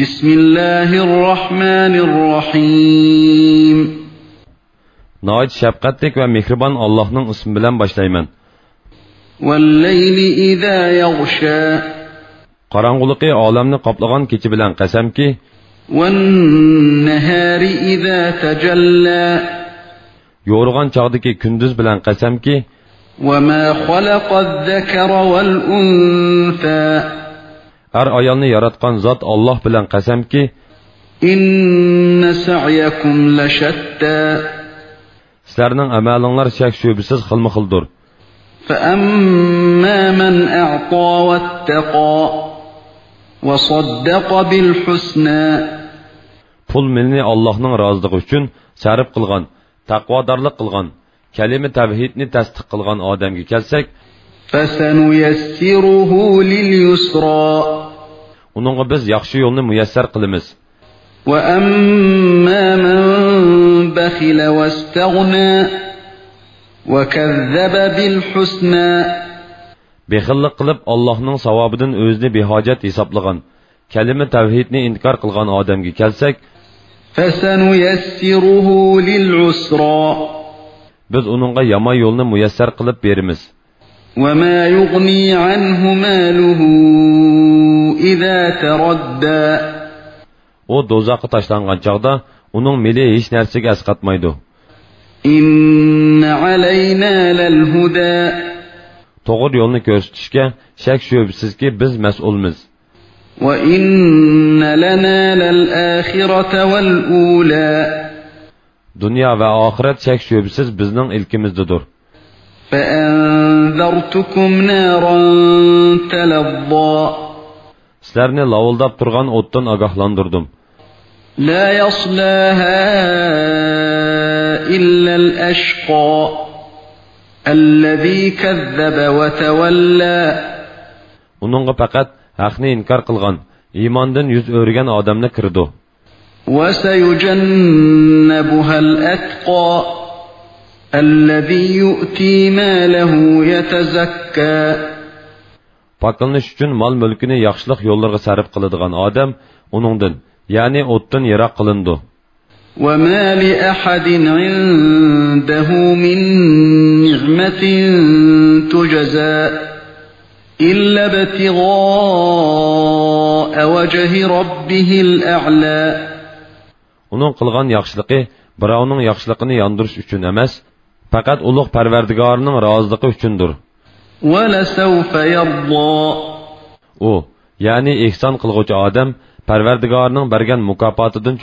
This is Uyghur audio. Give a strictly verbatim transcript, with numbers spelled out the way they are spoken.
بسم الله الرحمن الرحيم. ناھايىتى شەپقەتلىك ۋە مېھرىبان ئاللاھنىڭ ئىسمى بىلەن باشلايمەن. والليل إذا يغشى. قاراڭغۇلۇقى ئالەمنى قاپلىغان كېچە بىلەن قەسەمكى، والنهار إذا تجلى. يورۇغان چاغدىكى كۈندۈز بىلەن قەسەمكى، وما خلق الذكر والأنثى. ئەر-ئايالنى ياراتقان زات ئاللاھ بىلەن قەسەمكى، إن سعيكم لشتى. سىلەرنىڭ ئەمەلىڭلار شەك-شۈبھىسىز خىلمۇ-خىلدۇر. فأما من أعطى واتقى وصدق بالحسنى. پۇل-مېلىنى ئاللاھنىڭ رازىلىقى ئۈچۈن سەرپ قىلغان، تەقۋادارلىق قىلغان، كەلىمە تەۋھىدنى تەستىق قىلغان ئادەمگە كەلسەك، فسنيسره لليسرى. ئۇنىڭغا بىز ياخشى يولنى مۇيەسسەر قىلىمىز. وأما من بخل واستغنى وكذب بالحسنى. بېخىللىق قىلىپ، ئاللاھنىڭ ساۋابىدىن ئۆزىنى بىھاجەت ھېسابلىغان، كەلىمە تەۋھىدنى ئىنكار قىلغان ئادەمگە كەلسەك، فسنيسره للعسرى. بىز ئۇنىڭغا يامان يولنى مۇيەسسەر قىلىپ بېرىمىز. وما يغني عنه ماله إذا تردى. ئۇ دوزاخقا تاشلانغان چاغدا ئۇنىڭ مېلى ھېچ نەرسىگە ئەسقاتمايدۇ. إن علينا للهدى. توغرا يولنى كۆرسىتىشكە شەك-شۈبھىسىزكى بىز مەسئۇلمىز. وإن لنا للآخرة والأولى. دۇنيا ۋە ئاخىرەت شەك-شۈبھىسىز بىزنىڭ ئىلكىمىزدىدۇر. فأنذرتكم نارا تلظى. سىلەرنى لاۋۇلداپ تۇرغان ئوتتىن ئاگاھلاندۇردۇم. لا يصلاها إلا الأشقى الذي كذب وتولى. ئۇنىڭغا پەقەت ھەقنى ئىنكار قىلغان، ئىماندىن يۈز ئۆرۈگەن ئادەملا كىرىدۇ. وسيجنبها الأتقى الذي يؤتي ماله يتزكى. پاكلىنىش ئۈچۈن مال-مۈلكىنى ياخشىلىق يوللىرىغا سەرپ قىلىدىغان ئادەم ئۇنىڭدىن، يەنى ئوتتىن يىراق قىلىنىدۇ. وما لأحد عنده من نعمة تجزى إلا ابتغاء وجه ربه الأعلى. ئۇنىڭ قىلغان ياخشىلىقى بىراۋنىڭ ياخشىلىقىنى ياندۇرۇش ئۈچۈن ئەمەس، پەقەت ئۇلۇغ پەرۋەردىگارىنىڭ رازىلىقى ئۈچۈندۇر. ولسوف يرضى. ئۇ، يەنى ئېھسان قىلغۇچى ئادەم پەرۋەردىگارىنىڭ بەرگەن مۇكاپاتىدىن